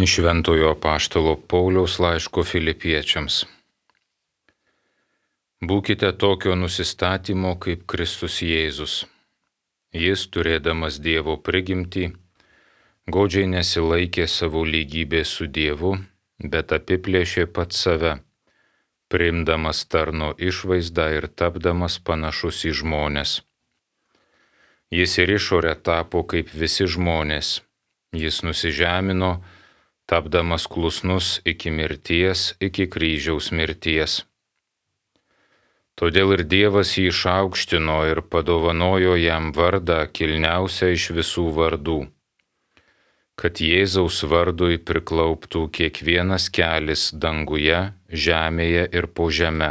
Iš Šventojo apaštalo Pauliaus laiško Filipiečiams. Būkite tokio nusistatymo kaip Kristus Jėzus. Jis, turėdamas Dievo prigimtį, godžiai nesilaikė savo lygybės su Dievu, bet apiplėšė pats save, priimdamas tarno išvaizdą ir tapdamas panašus į žmones. Jis ir išorę tapo kaip visi žmonės. Jis nusižemino, tapdamas klusnus iki mirties, iki kryžiaus mirties. Todėl ir Dievas jį išaukštino ir padovanojo jam vardą kilniausią iš visų vardų, kad Jėzaus vardui priklauptų kiekvienas kelis danguje, žemėje ir po žeme,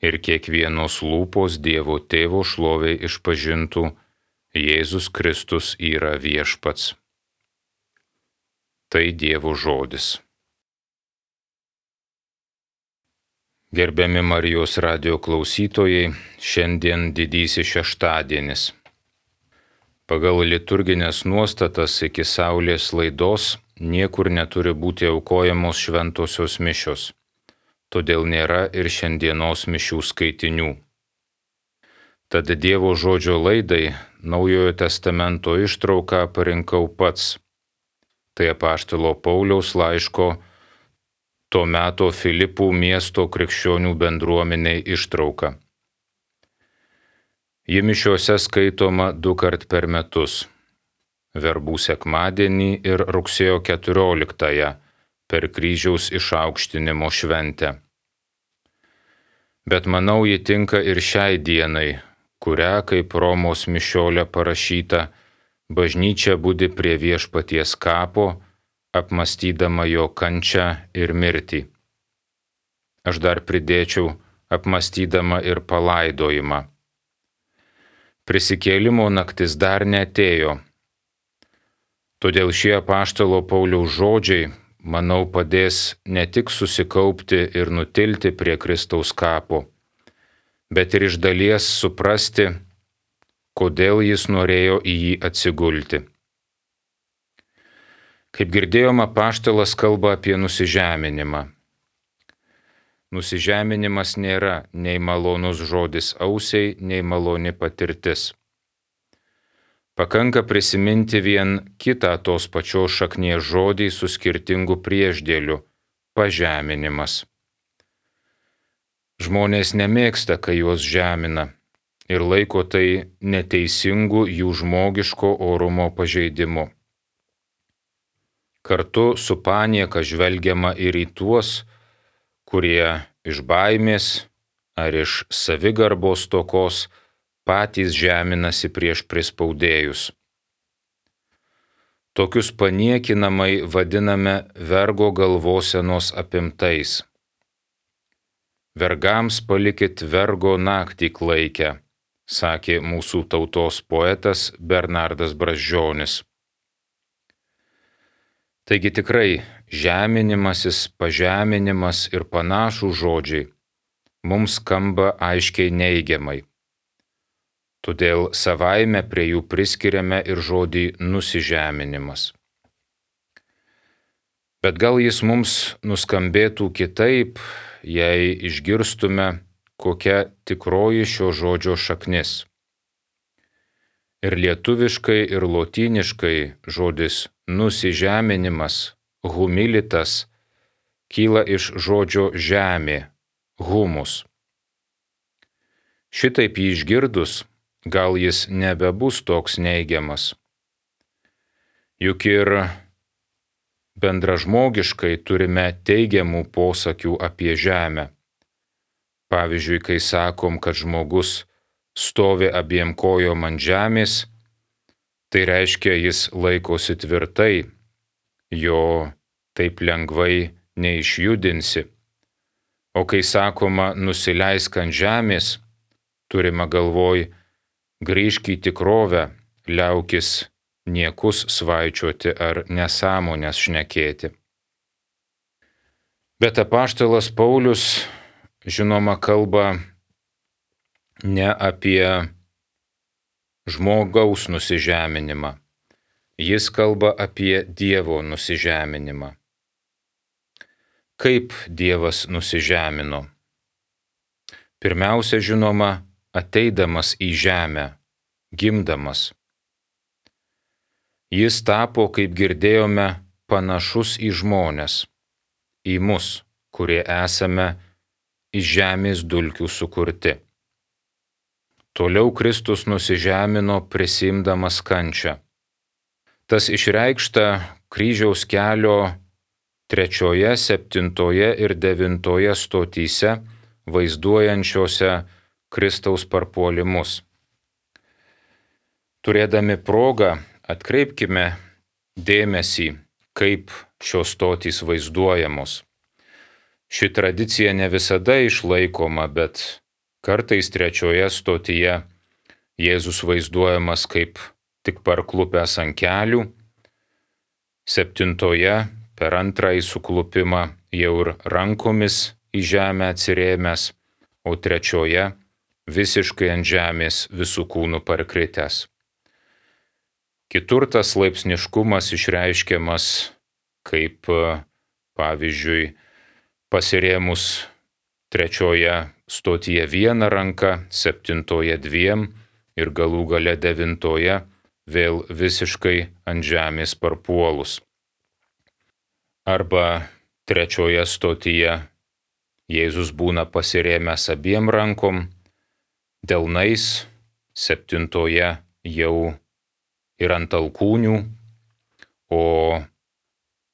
ir kiekvienos lūpos Dievo Tėvo šloviai išpažintų: Jėzus Kristus yra viešpats. Tai Dievo žodis. Gerbiami Marijos radijo klausytojai, šiandien didysis šeštadienis. Pagal liturginės nuostatas iki saulės laidos niekur neturi būti aukojamos šventosios mišios, todėl nėra ir šiandienos mišių skaitinių. Tad Dievo žodžio laidai Naujojo testamento ištrauką parinkau pats. Tai apaštalo Pauliaus laiško to meto Filipų miesto krikščionių bendruomeniai ištrauka. Ji mišiose skaitoma 2 kart per metus – Verbų sekmadienį ir rugsėjo 14-ąją per kryžiaus išaukštinimo šventę. Bet manau, ji tinka ir šiai dienai, kurią, kaip Romos mišiolė parašyta, bažnyčia budi prie viešpaties kapo, apmąstydama jo kančią ir mirtį. Aš dar pridėčiau apmąstydama ir palaidojimą. Prisikėlimo naktis dar neatėjo. Todėl šie apaštalo Pauliaus žodžiai, manau, padės ne tik susikaupti ir nutilti prie Kristaus kapo, bet ir iš dalies suprasti, kodėl jis norėjo į jį atsigulti. Kaip girdėjom, apaštalas kalba apie nusižeminimą. Nusižeminimas nėra nei malonus žodis ausiai, nei maloni patirtis. Pakanka prisiminti vien kitą tos pačios šaknies žodį su skirtingu priešdėliu – pažeminimas. Žmonės nemėgsta, kai juos žemina, ir laiko tai neteisingų jų žmogiško orumo pažeidimu. Kartu su panieka žvelgiama ir į tuos, kurie iš baimės ar iš savigarbos stokos patys žeminasi prieš prispaudėjus. Tokius paniekinamai vadiname vergo galvosenos apimtais. Vergams palikit vergo naktį klaikę, sakė mūsų tautos poetas Bernardas Brazdžionis. Taigi tikrai žeminimasis, pažeminimas ir panašūs žodžiai mums skamba aiškiai neigiamai. Todėl savaime prie jų priskiriame ir žodį nusižeminimas. Bet gal jis mums nuskambėtų kitaip, jei išgirstume, kokia tikroji šio žodžio šaknis. Ir lietuviškai, ir lotyniškai žodis nusižeminimas, humilitas, kyla iš žodžio žemė, humus. Šitaip jį išgirdus, gal jis nebebus toks neigiamas. Juk ir bendražmogiškai turime teigiamų posakių apie žemę. Pavyzdžiui, kai sakom, kad žmogus stovi abiem kojom ant žemės, tai reiškia, jis laikosi tvirtai, jo taip lengvai neišjudinsi. O kai sakoma nusileisk ant žemės, turima galvoj grįžk į tikrovę, liaukis niekus svaičioti ar nesąmones šnekėti. Bet apaštalas Paulius, žinoma, kalba ne apie žmogaus nusižeminimą, Jis kalba apie Dievo nusižeminimą. Kaip Dievas nusižemino? Pirmiausia, žinoma, ateidamas į žemę, gimdamas. Jis tapo, kaip girdėjome, panašus į žmones, į mus, kurie esame iš žemės dulkių sukurti. Toliau Kristus nusižemino prisiimdamas kančią. Tas išreikšta kryžiaus kelio 3., 7. ir 9 stotyse, vaizduojančiose Kristaus parpuolimus. Turėdami progą, atkreipkime dėmesį, kaip šios stotys vaizduojamos. Ši tradicija ne visada išlaikoma, bet kartais 3 stotyje Jėzus vaizduojamas kaip tik parklupęs ant kelių, 7 per antrąjį suklupimą jau ir rankomis į žemę atsirėmęs, o 3 visiškai ant žemės visų kūnų parkritęs. Kitur tas laipsniškumas išreiškiamas kaip, pavyzdžiui, pasirėmus 3 stotyje 1 ranka, 7 2 ir galų gale 9 vėl visiškai ant žemės parpuolus. Arba 3 stotyje Jėzus būna pasirėmęs abiem rankom, delnais, 7 jau ir ant alkūnių, o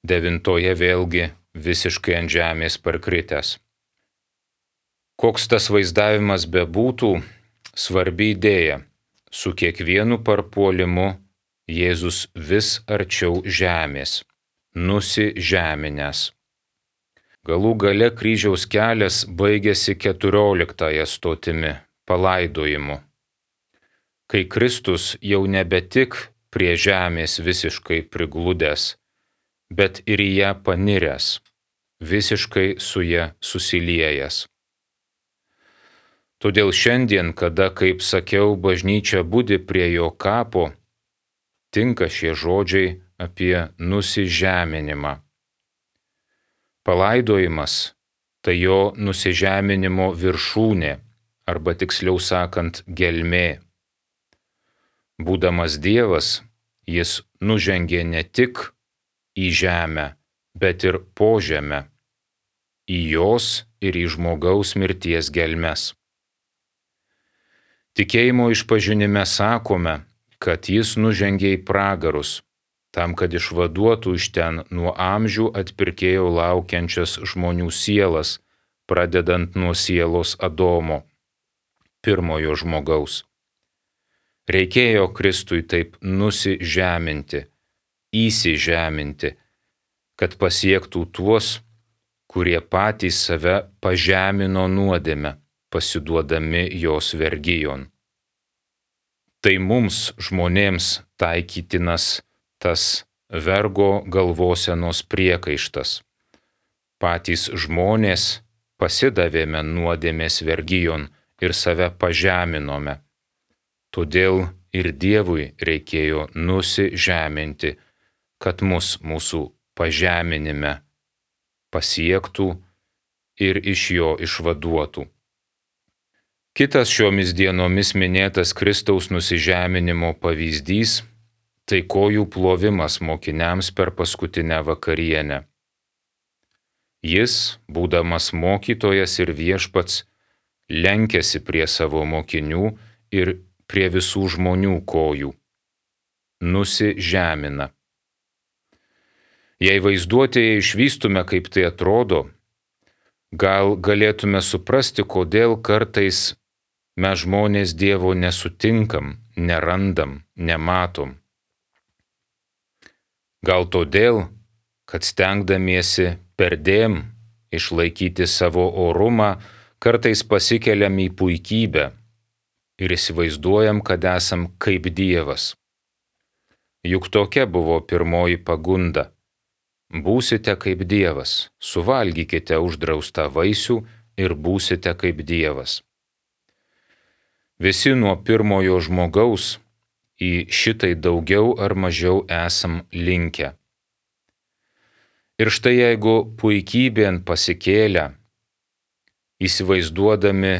9 vėlgi visiškai ant žemės parkritęs. Koks tas vaizdavimas bebūtų, svarbi idėja, su kiekvienu parpuolimu Jėzus vis arčiau žemės, nusižeminęs. Galų gale kryžiaus kelias baigėsi 14 stotimi, palaidojimu, kai Kristus jau nebe tik prie žemės visiškai prigludęs, bet ir į ją paniręs, visiškai su ja susiliejęs. Todėl šiandien, kada, kaip sakiau, bažnyčia budi prie jo kapo, tinka šie žodžiai apie nusižeminimą. Palaidojimas tai jo nusižeminimo viršūnė, arba tiksliau sakant, gelmė. Būdamas Dievas, jis nužengė ne tik į žemę, bet ir po žemę, į jos ir į žmogaus mirties gelmes. Tikėjimo išpažinime sakome, kad jis nužengė į pragarus, tam, kad išvaduotų iš ten nuo amžių atpirkėjo laukiančias žmonių sielas, pradedant nuo sielos Adomo, pirmojo žmogaus. Reikėjo Kristui taip nusižeminti, įsižeminti, kad pasiektų tuos, kurie patys save pažemino nuodėme, pasiduodami jos vergijon. Tai mums, žmonėms, taikytinas tas vergo galvosenos priekaištas. Patys žmonės pasidavėme nuodėmės vergijon ir save pažeminome. Todėl ir Dievui reikėjo nusižeminti, kad mus mūsų pažeminime pasiektų ir iš jo išvaduotų. Kitas šiomis dienomis minėtas Kristaus nusižeminimo pavyzdys – tai kojų plovimas mokiniams per paskutinę vakarienę. Jis, būdamas mokytojas ir viešpats, lenkėsi prie savo mokinių ir prie visų žmonių kojų. Nusižemina. Jei vaizduotėje išvystume, kaip tai atrodo, gal galėtume suprasti, kodėl kartais mes žmonės Dievo nesutinkam, nerandam, nematom. Gal todėl, kad stengdamiesi perdėm išlaikyti savo orumą, kartais pasikeliam į puikybę ir įsivaizduojam, kad esam kaip Dievas. Juk tokia buvo pirmoji pagunda. Būsite kaip Dievas, suvalgykite uždraustą vaisių ir būsite kaip Dievas. Visi nuo pirmojo žmogaus į šitai daugiau ar mažiau esam linkę. Ir štai jeigu puikybėn pasikėlę, įsivaizduodami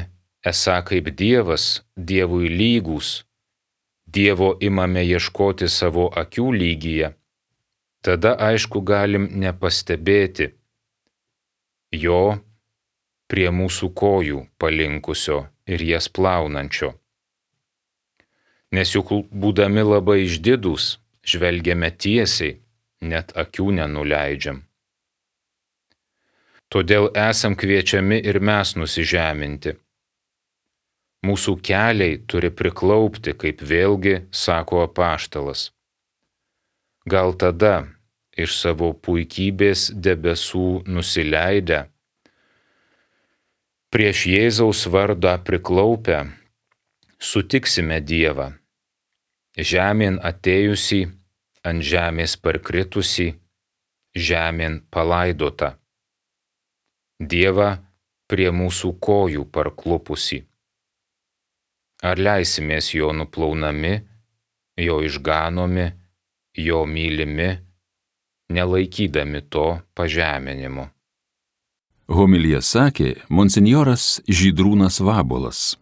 esą kaip Dievas, Dievui lygūs, Dievo imame ieškoti savo akių lygyje, tada aišku galim nepastebėti jo prie mūsų kojų palinkusio ir jas plaunančio. Nes juk būdami labai išdidūs, žvelgiame tiesiai, net akių nenuleidžiam. Todėl esam kviečiami ir mes nusižeminti. Mūsų keliai turi priklaupti, kaip vėlgi sako apaštalas. Gal tada iš savo puikybės debesų nusileidę, prieš Jėzaus vardą priklaupę, sutiksime Dievą, žemėn atėjusį, ant žemės parkritusį, žemėn palaidotą. Dievą prie mūsų kojų parklupusį. Ar leisimės jo nuplaunami, jo išganomi, jo mylimi, nelaikydami to pažeminimu? Homiliją sakė monsinjoras Žydrūnas Vabuolas.